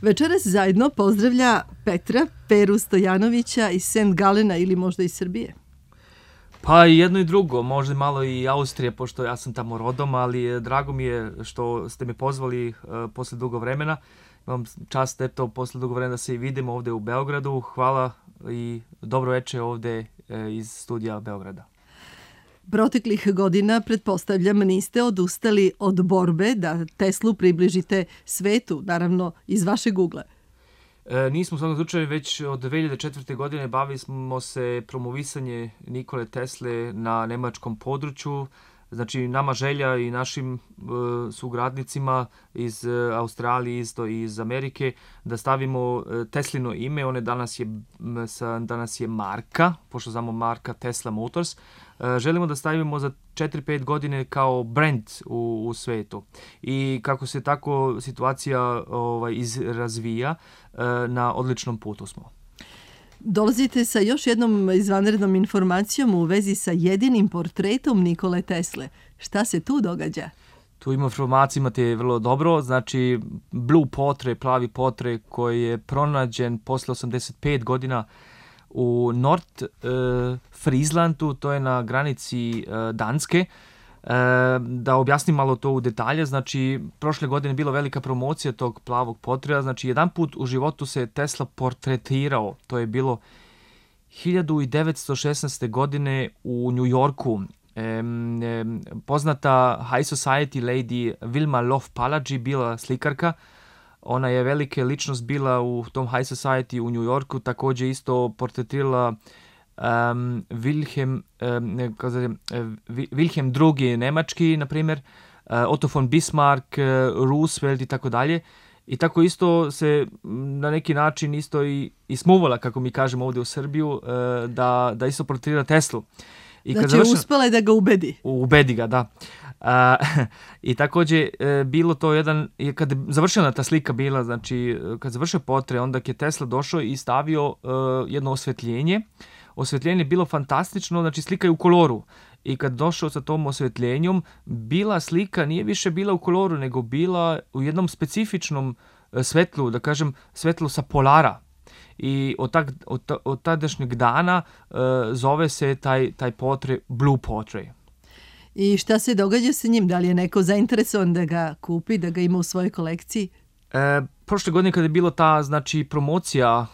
Večeras zajedno pozdravlja Peru Stojanovića iz St. Galena ili možda iz Srbije. Pa i jedno i drugo, možda malo i Austrije, pošto ja sam tamo rodom, ali drago mi je što ste me pozvali posle dugo vremena. Imam čast posle dugo vremena da se i vidimo ovde u Beogradu. Hvala i dobro veče ovde iz studija Beograda. Proteklih godina, pretpostavljam, niste odustali od borbe da Teslu približite svetu, naravno iz vašeg ugla. Nismo u svakom slučaju, već od 2004. godine bavili smo se promovisanje Nikole Tesle na nemačkom području. Znači, nama želja i našim sugradnicima iz Australije, isto iz Amerike, da stavimo Teslino ime. One danas je marka, pošto znamo marka Tesla Motors. Želimo da stavimo za 4-5 godine kao brand u svetu. I kako se tako situacija razvija, na odličnom putu smo. Dolazite sa još jednom izvanrednom informacijom u vezi sa jedinim portretom Nikole Tesle. Šta se tu događa? Tu informaciju imate vrlo dobro. Znači, blue portrait, plavi portrait koji je pronađen posle 85 godina u Nord Frizlandu, to je na granici Danske. Da objasnim malo to u detalje, znači prošle godine je bila velika promocija tog plavog portreta, znači jedan put u životu se Tesla portretirao, to je bilo 1916. godine u New Yorku. Poznata high society lady Vilma Love-Palagi bila slikarka, ona je velika ličnost bila u tom high society u New Yorku, također isto portretirala Wilhelm II. Nemački, na primjer, Otto von Bismarck, Roosevelt i tako dalje. I tako isto se na neki način isto i smuvala, kako mi kažemo ovdje u Srbiju, da isto portretira Teslu. I znači uspela je da ga ubedi. Ubedi ga, da. I također bilo to kad je završena ta slika bila, znači kad završio portret, onda je Tesla došao i stavio jedno osvetljenje. Osvetljenje je bilo fantastično, znači slika je u koloru. I kad došao sa tom osvetljenjom, bila slika nije više bila u koloru, nego bila u jednom specifičnom svetlu, da kažem svetlu sa polara. I od tadašnjeg dana zove se taj portret Blue Portrait. I šta se događa sa njim? Da li je neko zainteresovan da ga kupi, da ga ima u svojoj kolekciji? Prošle godine kada je bilo ta promocija,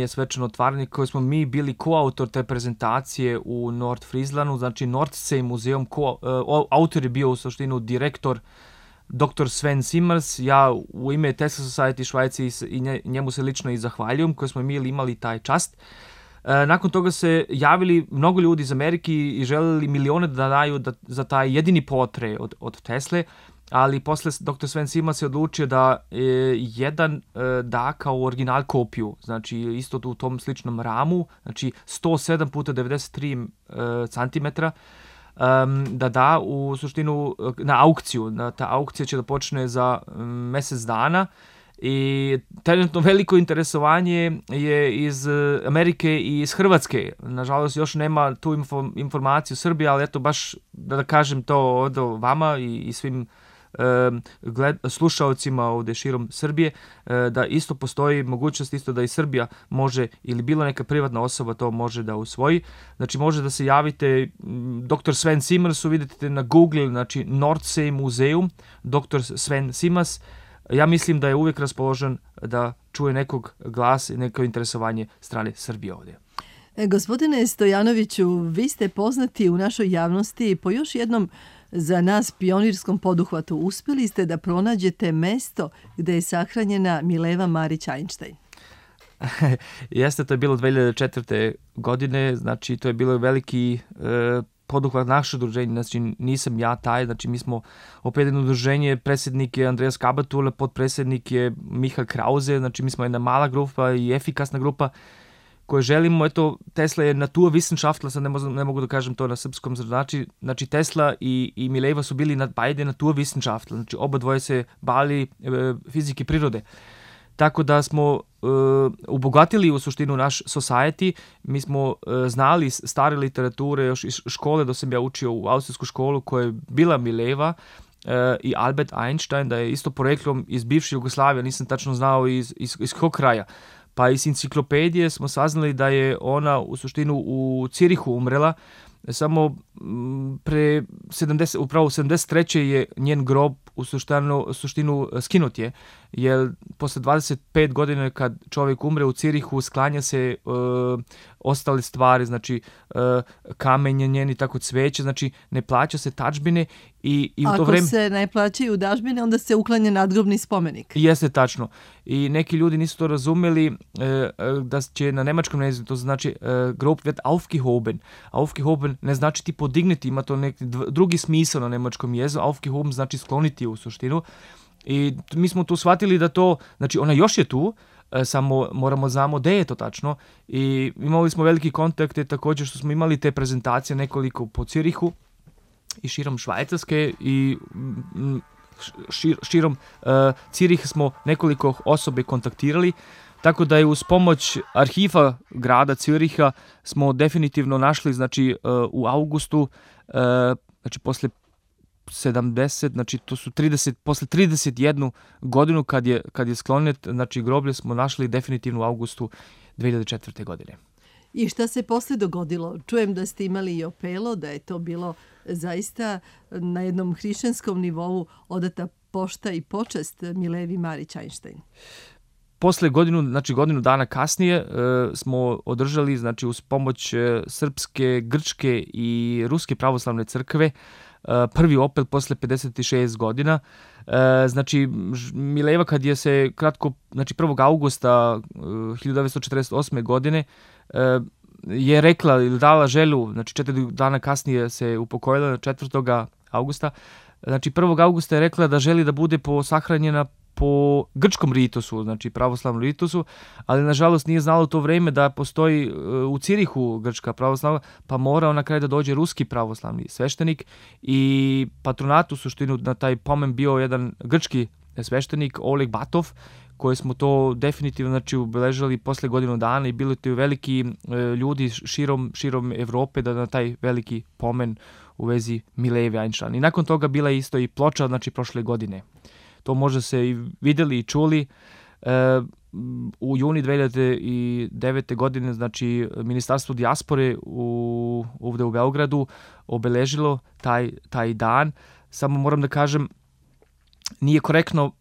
svečano otvaranje koje smo mi bili koautor te prezentacije u Nord Frizlandu, znači Nordsee muzeum, autor je bio u suštinu direktor dr. Sven Simers, ja u ime Tesla Society Švajci i njemu se lično i zahvaljujem, koji smo mi imali taj čast. Nakon toga se javili mnogo ljudi iz Amerike i želeli milione da daju za taj jedini portret od Tesle, ali posle dr. Sven Simers se odlučio da jedan da kao original kopiju, znači isto u tom sličnom ramu, znači 107 puta 93 cm, da u suštinu na aukciju. Ta aukcija će da počne za mesec dana i trenutno veliko interesovanje je iz Amerike i iz Hrvatske. Nažalost, još nema tu informaciju Srbije, ali eto baš da kažem to od vama i svim slušaocima ovde širom Srbije, da isto postoji mogućnost isto da i Srbija može ili bilo neka privatna osoba to može da usvoji. Znači može da se javite dr. Sven Simersu, vidite na Google, znači Nordsee muzeum, dr. Sven Simers. Ja mislim da je uvijek raspoložen da čuje nekog glas i neko interesovanje strane Srbije ovdje. Gospodine Stojanoviću, vi ste poznati u našoj javnosti po još jednom za nas pionirskom poduhvatu. Uspjeli ste da pronađete mesto gde je sahranjena Mileva Marić-Einstein. Jeste, to je bilo 2004. godine, znači to je bilo veliki poduhvat naše udruženje, znači nisam ja taj, znači mi smo opet jedno udruženje, predsjednik je Andreas Kabatule, potpredsjednik je Michael Krause, znači mi smo jedna mala grupa i efikasna grupa koje želimo, eto, Tesla je Naturwissenschaftler, sad ne mogu da kažem to na srpskom, znači Tesla i Mileva su bili beide Naturwissenschaftler, znači oba dvoje se bavili fizike prirode. Tako da smo obogatili u suštinu naš society, mi smo znali stare literature još iz škole, da sam ja učio u austrijsku školu koja je bila Mileva, i Albert Einstein, da je isto poreklom iz bivše Jugoslavije, nisam tačno znao iz kog kraja. Pa iz enciklopedije smo saznali da je ona u suštinu u Cirihu umrela, samo pre 73. je njen grob u suštinu skinut je, jer posle 25 godina kad čovjek umre u Cirihu sklanja se ostale stvari, znači kamenje njeni, tako cveće, znači ne plaća se tadžbine i u to vreme... Ako se ne plaćaju dažbine, onda se uklanja nadgrobni spomenik. Jeste tačno. I neki ljudi nisu to razumeli da će na nemačkom jeziku, to znači grob wird aufgehoben. Aufgehoben ne znači ti podignuti, ima to neki drugi smisao na nemačkom jeziku. Aufgehoben znači skloniti u suštinu. I mi smo tu shvatili da to, znači ona još je tu, samo moramo znamo gde je to tačno. I imali smo veliki kontakte također što smo imali te prezentacije nekoliko po Cirihu i širom Švajcarske i širom Cirih smo nekoliko osobe kontaktirali, tako da je uz pomoć arhiva grada Ciriha smo definitivno našli, znači u augustu, znači posle 70, znači to su 30, posle 31 godinu kad je sklonjet, znači groblje smo našli definitivno u augustu 2004. godine. I šta se posle dogodilo? Čujem da ste imali i opelo, da je to bilo zaista na jednom hrišćanskom nivou odata pošta i počast Milevi Marić Einstein. Posle godinu dana kasnije smo održali, znači uz pomoć srpske, grčke i ruske pravoslavne crkve prvi opel posle 56 godina. Znači Mileva kad je se kratko, znači 1. augusta 1948. godine je rekla ili dala želju, znači 4 dana kasnije se upokojila 4. augusta. Znači 1. augusta je rekla da želi da bude sahranjena po grčkom ritusu, znači pravoslavnom ritusu, ali nažalost nije znala u to vreme da postoji u Cirihu grčka pravoslavna, pa mora na kraju da dođe ruski pravoslavni sveštenik i patronat u suštinu na taj pomen bio jedan grčki sveštenik Oleg Batov, koji smo to definitivno znači obeležili posle godinu dana i bili tu veliki ljudi širom Evrope da na taj veliki pomen u vezi Mileve Einstein. I nakon toga bila je isto i ploča, znači prošle godine. To možda se i vidjeli i čuli. U juni 2009. godine, znači Ministarstvo dijaspore ovdje u Beogradu obeležilo taj dan. Samo moram da kažem, nije korektno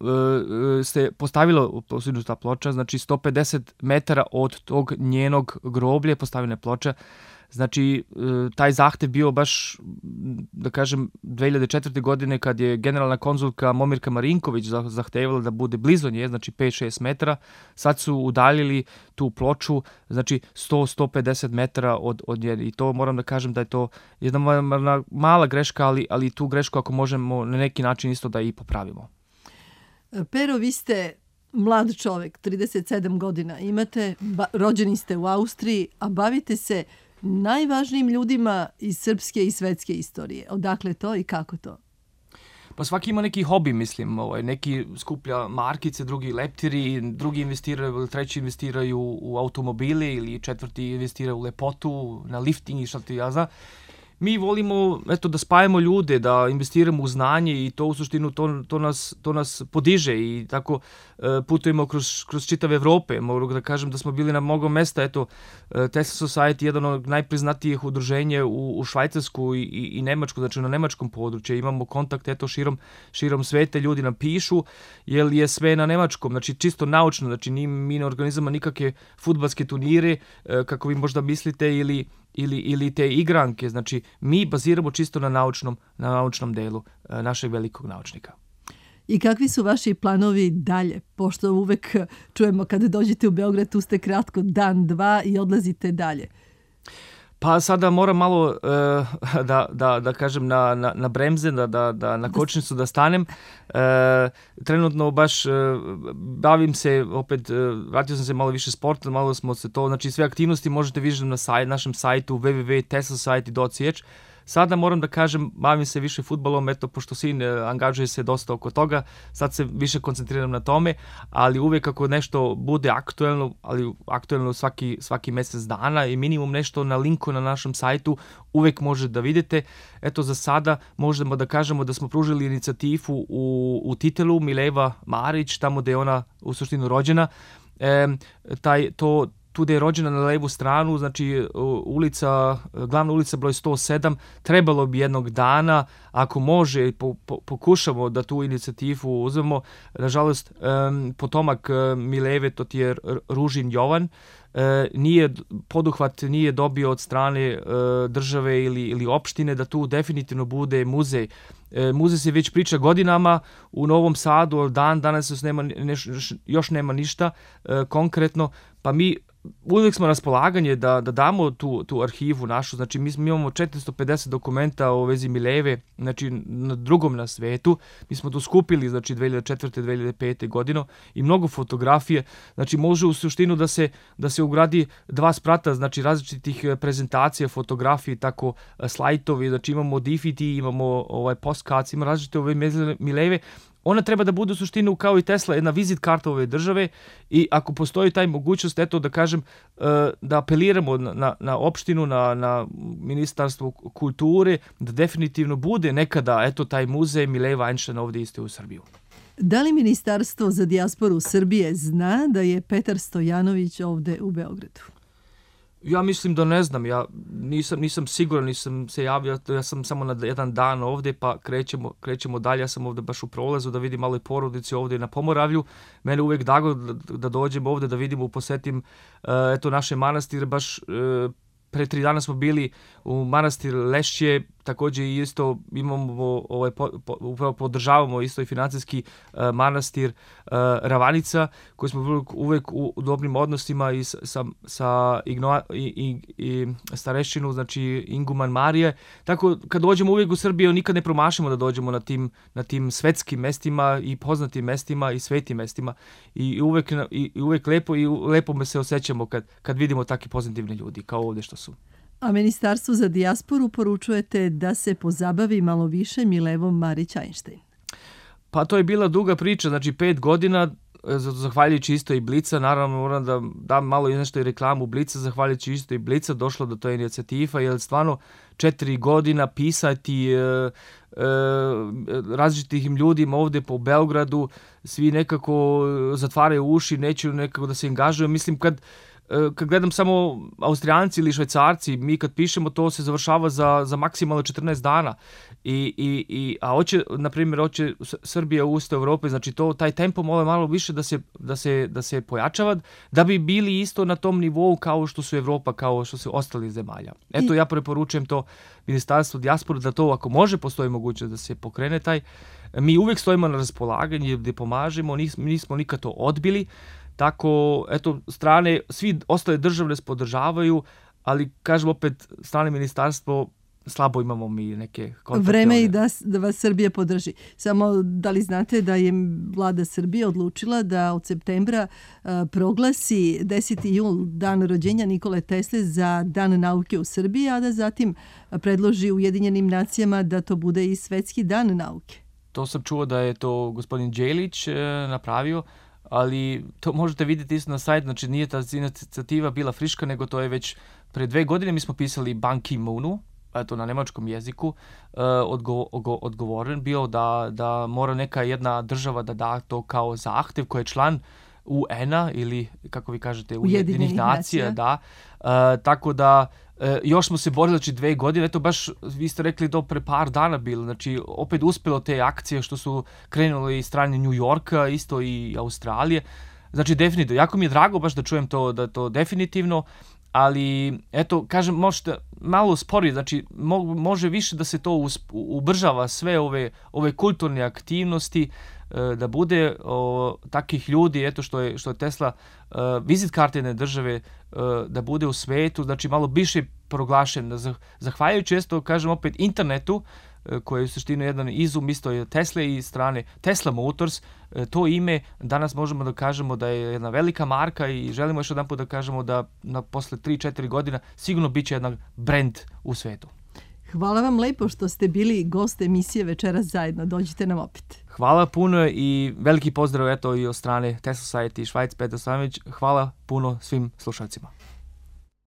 se postavilo ta ploča, znači 150 metara od tog njenog groblja postavljena ploča. Znači, taj zahtev bio baš, da kažem, 2004. godine kad je generalna konzulka Momirka Marinković zahtevala da bude blizu nje, znači 5-6 metara. Sad su udaljili tu ploču, znači 100-150 metara od nje. I to moram da kažem da je to jedna mala greška, ali tu grešku ako možemo na neki način isto da i popravimo. Pero, vi ste mlad čovek, 37 godina imate, rođeni ste u Austriji, a bavite se najvažnijim ljudima iz srpske i svetske istorije. Odakle to i kako to? Pa svaki ima neki hobi, mislim. Neki skuplja markice, drugi leptiri, drugi investiraju, treći investiraju u automobile ili četvrti investiraju u lepotu, na lifting i šta ti ja znam. Mi volimo da spajamo ljude, da investiramo u znanje i to u suštinu to nas podiže i tako putujemo kroz čitave Evrope. Mogu da kažem da smo bili na mnogo mesta. Tesla Society je jedan od najpriznatijih udruženja u Švajcarsku i Nemačku, znači na nemačkom području. Imamo kontakt širom sveta, ljudi nam pišu, jer je sve na nemačkom, znači čisto naučno, znači mi ne organizujemo nikakve fudbalske turnire, kako vi možda mislite, ili te igranke, znači mi baziramo čisto na naučnom delu našeg velikog naučnika. I kakvi su vaši planovi dalje? Pošto uvek čujemo kada dođete u Beograd, tu ste kratko dan, dva i odlazite dalje. Pa sada moram malo da kažem na bremze, da na kočnicu da stanem. Trenutno baš bavim se, opet vratio sam se malo više sporta, malo smo se to, znači sve aktivnosti možete vidjeti na našem sajtu www.teslosociety.ch. Sada moram da kažem, bavim se više fudbalom, eto, pošto sin angažuje se dosta oko toga, sad se više koncentriram na tome, ali uvijek ako nešto bude aktuelno, ali aktuelno svaki mjesec dana i minimum nešto na linku na našem sajtu, uvijek možete da vidite. Eto, za sada možemo da kažemo da smo pružili inicijativu u Titelu, Mileva Marić, tamo gde je ona u suštinu rođena. Tu gde je rođena na levu stranu, znači glavna ulica broj 107, trebalo bi jednog dana, ako može, pokušamo da tu inicijativu uzmemo. Nažalost, potomak Mileve, to ti je Ružin Jovan, poduhvat nije dobio od strane države ili opštine da tu definitivno bude muzej. Muzej se već priča godinama u Novom Sadu, danas još nema ništa konkretno, pa mi uvijek smo na raspolaganje da damo tu arhivu našu, znači mi imamo 450 dokumenta o vezi Mileve, znači na drugom na svetu, mi smo to skupili, znači 2004. 2005. godine i mnogo fotografije, znači može u suštinu da se ugradi 2 sprata, znači različitih prezentacija, fotografije, tako slajtovi, znači imamo DVD, imamo postcards, imamo različite ove Mileve. Ona treba da bude u suštinu kao i Tesla, jedna vizit karta ove države i ako postoji taj mogućnost, eto da kažem, da apeliramo na opštinu, na Ministarstvo kulture, da definitivno bude nekada, eto, taj muzej Mileva Einsteina ovdje isto u Srbiju. Da li Ministarstvo za dijasporu Srbije zna da je Petar Stojanović ovdje u Beogradu? Ja mislim da ne znam, ja nisam siguran, nisam se javio, ja sam samo na jedan dan ovdje, pa krećemo dalje, ja sam ovdje baš u prolazu da vidim malo i porodici ovdje na Pomoravlju. Mene uvijek dago da dođem ovdje, da vidimo, posetim eto naše manastire, baš pre 3 dana smo bili u manastir Lešće, također isto imamo, upravo podržavamo isto i financijski manastir Ravanica, koji smo uvijek u dobrim odnosima i sa starešćinu, znači Inguman Marije. Tako, kad dođemo uvijek u Srbiju, nikad ne promašimo da dođemo na tim svetskim mestima i poznatim mestima i svetim mestima. I uvijek lepo me se osjećamo kad vidimo takvi pozitivni ljudi, kao ovdje što su. A Ministarstvu za dijasporu poručujete da se pozabavi malo više Milevom Marić Einstein? Pa to je bila duga priča, znači 5 godina, zahvaljujući isto i Blica, naravno moram da dam malo nešto i reklamu Blica, zahvaljujući isto i Blica došlo do toj inicijativa, jer stvarno 4 godina pisati različitim ljudima ovdje po Beogradu, svi nekako zatvaraju uši, neću nekako da se angažuju. Mislim, kad gledam samo Austrijanci ili Švajcarci, mi kad pišemo to se završava za maksimalno 14 dana. A hoće Srbija usta Evrope, znači taj tempo malo više da se pojačava, da bi bili isto na tom nivou kao što su Evropa, kao što su ostali zemalja. Eto, ja preporučujem to Ministarstvo dijaspore, da to ako može postoji mogućnost da se pokrene taj. Mi uvijek stojimo na raspolaganju gdje pomažemo, nismo nikad to odbili. Tako, eto, strane, svi ostale države nas podržavaju, ali, kažem opet, strane ministarstvo, slabo imamo mi neke kontakte. Vreme i da vas Srbija podrži. Samo, da li znate da je vlada Srbije odlučila da od septembra proglasi 10. jul, dan rođenja Nikole Tesle, za dan nauke u Srbiji, a da zatim predloži Ujedinjenim nacijama da to bude i svetski dan nauke? To sam čuo da je to gospodin Đelić napravio, ali to možete vidjeti isto na sajt, znači nije ta inicijativa bila friška, nego to je već pre 2 godine mi smo pisali Ban Ki-moonu, eto na nemačkom jeziku, odgovoren bio da mora neka jedna država da da to kao zahtev koji je član UN-a ili, kako vi kažete, Ujedinjenih nacija, da. Tako da još smo se borili, znači 2 godine, eto baš vi ste rekli to pre par dana bilo, znači opet uspjelo te akcije što su krenule iz strane New Yorka, isto i Australije, znači definitivno, jako mi je drago baš da čujem to, da to definitivno, ali eto, kažem, možete malo sporije, znači može više da se to ubržava sve ove kulturne aktivnosti, da bude takih ljudi, eto što je Tesla vizit karte jedne države, da bude u svetu, znači malo više proglašen, zahvaljujući isto, kažem opet, internetu, koji je u suštini jedan izum isto je Tesla i strane Tesla Motors, to ime danas možemo da kažemo da je jedna velika marka i želimo još jedan put da kažemo da posle 3-4 godina sigurno bit će jedan brand u svetu. Hvala vam lepo što ste bili gost emisije Večeras zajedno. Dođite nam opet. Hvala puno i veliki pozdrav eto i od strane Test Society Švajc, Petar Stojanović. Hvala puno svim slušalcima.